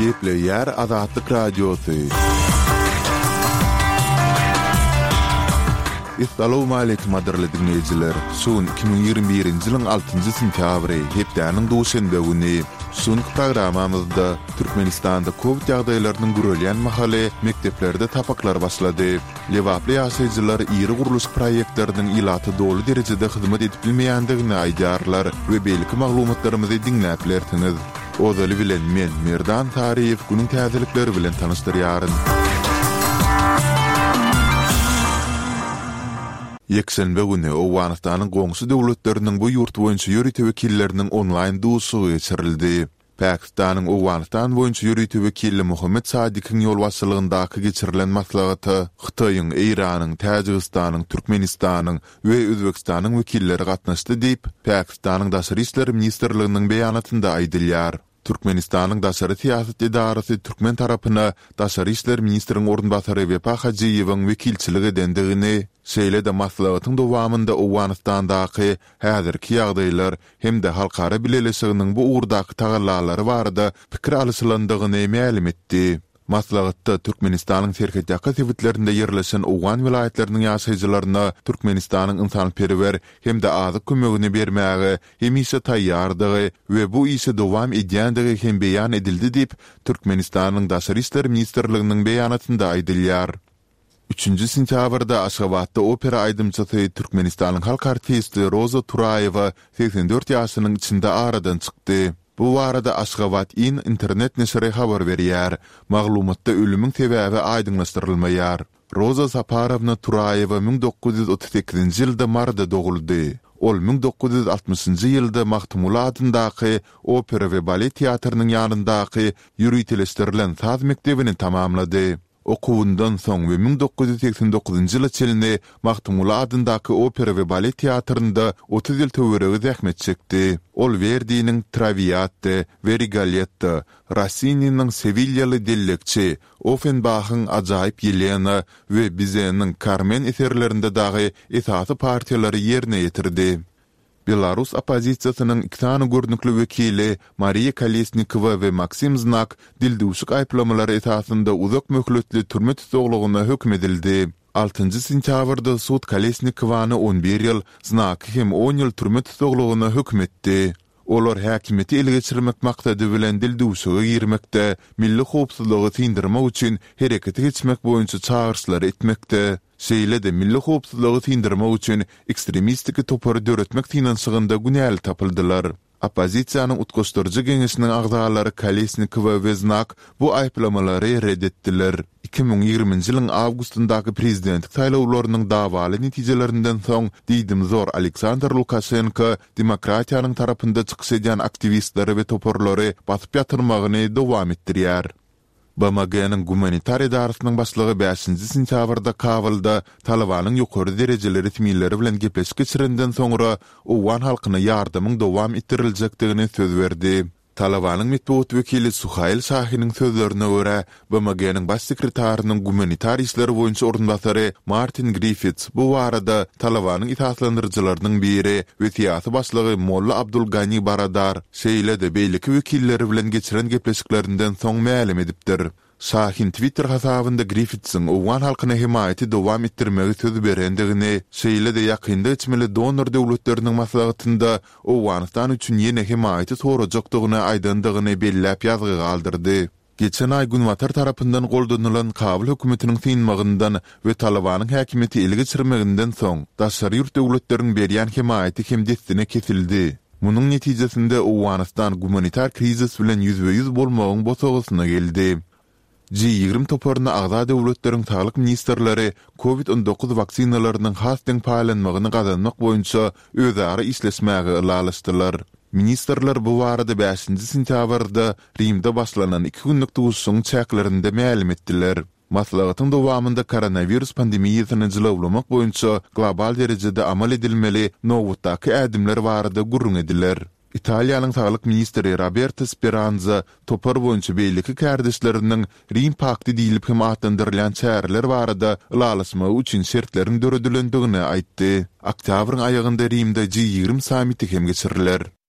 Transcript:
Gepleýär Azatlyk Radiosy. Essalawmaleýkim gadyrly diňleýjiler! Şu gün 2021-nji ýylyň altynjy sentýabry, hepdäniň duşenbe güni. Şu günki programmamyzda Türkmenistanda kowid ýagdaýlarynyň gürelýän mahaly mekdeplerde sapaklar başlady. Lebaply ýaşaýjylar iri gurluşyk proýektleriniň ilata doly derejede hyzmat edip bilmeýändigini aýdýarlar we beýleki maglumatlarymyzy diňläp bilersiňiz. Ozaly bilen men, Merdan Saryýew günüň täzelikleri bilen tanyşdyrýaryn. Ýekşenbe güni Owganystanyň goňşy döwletleriniň bu ýurt boýunça ýörite wekilleriniň onlaýn duşuşygy geçirildi. Pakistanyň Owganystan boýunça ýörite wekili Mohammed Sadikiň ýolbaşçylygyndaky geçirilen maslahata Hytaýyň, Eýranyň, Täjigistanyň, Türkmenistanyň we Özbegistanyň wekilleri gatnaşdy diýip, Pakistanyň Daşary işler ministrliginiň beýanatynda aýdylýar. Türkmenistanyň daşary syýasat edarasy türkmen tarapyna daşary işler ministriň orunbasary Wepa Hajyýewiň wekilçilik edendigini, şeýle-de maslahatyň dowamynda Owganystandaky häzirki ýagdaýlar hem-de halkara bileleşiginiň bu ugurdaky tagallalary barada pikir alyşylandygyny mälim etdi. Maslahatda Türkmenistanyň serhetýaka sebitlerinde ýerleşen owgan welaýatlarynyň ýaşaýjylaryna Türkmenistanyň ynsanperwer hem-de azyk kömegini bermäge hemişe taýýardygy we bu işi dowam edýändigi hem beýan edildi diýip, Türkmenistanyň Daşary işler ministrliginiň beýanatynda aýdylýar. Üçünji sentýabrda Aşgabatda opera aýdymçysy, Türkmenistanyň halk artisti Roza Turaýewa 84 ýaşynyň içinde aradan çykdy. Bu barada Aşgabat in internet neşiri habar berýär. Maglumatda ölümiň sebäbi aýdyňlaşdyrylmaýar. Roza Saparowna Turaýewa 1938-nji ýylda Maryda doguldy. Ol 1960-njy ýylda Magtymguly adyndaky Opera we balet teatrynyň ýanyndaky ýöriteleşdirilen saz mekdebini tamamlady. Okuwyndan soň we 1989-njy ýyla çenli Magtymguly adyndaky opera we balet teatrynda 30 ýyl töweregi zähmet çekdi. Ol Werdiniň Trawiatta we Rigoletto, Rossininiň Sewilýaly dellekçi, Offenbahyň Ajaýyp Ýelena we Bizeniň Karmen eserlerinde dagy esasy partiýalary ýerine ýetirdi. Belarus oppozisiýasynyň iki sany görnükli wekili Mariýa Kolesnikowa we Maksim Znak dildüwşük aýyplamalary esasynda uzak möhletli türme tussaglygyna höküm edildi. Altynjy sentýabrda sud Kolesnikowany on bir ýyl, Znaky hem on ýyl türme tussaglygyna höküm etdi. Olar häkimiýeti ele geçirmek maksady bilen dildüwşüge girmekde, milli howpsuzlygy syndyrmak üçin herekete geçmek boýunça çagyryşlary etmekde, Şeýle-de milli howpsuzlygy syndyrmak üçin ekstremistiki topary döretmek synanyşygynda günäli tapyldylar. Oppozisiýanyň Utgaşdyryjy geňeşiniň agzalary Kolesnikowa we Znak bu aýyplamalary ret etdiler. 2020-nji ýylyň awgustyndaky prezidentlik saýlawlarynyň dawaly netijelerinden soň diýdimzor Aleksandr Lukaşenko demokratiýanyň tarapynda çykyş edýän aktiwistleri we toparlary basyp ýatyrmagyny dowam etdirýär. BMG-niň Gumanitar edarasynyň başlygy bäşinji sentýabrda Kabulda Talybanyň ýokary derejeli resmileri bilen gepleşik geçirenden soňra owgan halkyna ýardamyň dowam etdiriljekdigini söz berdi. Talybanyň metbugat wekili Suhail Şahiniň sözlerine görä, BMG-niň Baş sekretarynyň gumanitar işler boýunça orunbasary Martin Griffits bu barada Talybanyň esaslandyryjylarynyň biri we syýasy başlygy Molla Abdul Gani Baradar, şeýle-de beýleki wekilleri bilen geçiren gepleşiklerinden soň mälim edipdir. Şahin Twitter hasabynda Griffitsiň owgan halkyna hemaýaty dowam etdirmegi söz berendigini, şeýle-de ýakynda geçmeli donor döwletleriniň maslahatynda Owganystan üçin ýene hemaýaty sorajakdygyny aýdandygyny belläp ýazgy galdyrdy. Geçen aý Günbatar tarapyndan goldanylan Kabul hökümetiniň synmagyndan we Talybanyň häkimiýeti ele geçirmeginden soň, daşary ýurt döwletleriň berýän hemaýaty hem dessine kesildi. Munuň netijesinde Owganystan gumanitar krizis bilen ýüzbe-ýüz bolmagyň bosagasyna geldi. G 20 toparyna agza döwletleriň saglyk ministrleri Covid 19 waksinalarynyň has deň paýlanmagyny gazanmak boýunça özara işleşmäge ylalaşdylar. Ministrler bu barada bäşinji sentýabrda Rimde başlanan iki günlük duşuşygyň çäklerinde mälim etdiler. Maslahatyň dowamynda koronawirus pandemiýasyny jylawlamak boýunça global derejede amal edilmeli nobatdaky ädimler barada gürrüň ediler. Italiýanyň saglyk ministri Roberto Speranza topar boýunça beýleki kärdeşleriniň Rim pakty diýlip hem atlandyrylýan çäreler barada ylalaşmagy üçin şertleriň döredilendigini aýtdy. Oktýabryň aýagynda Rimde G 20 sammiti hem geçiriler.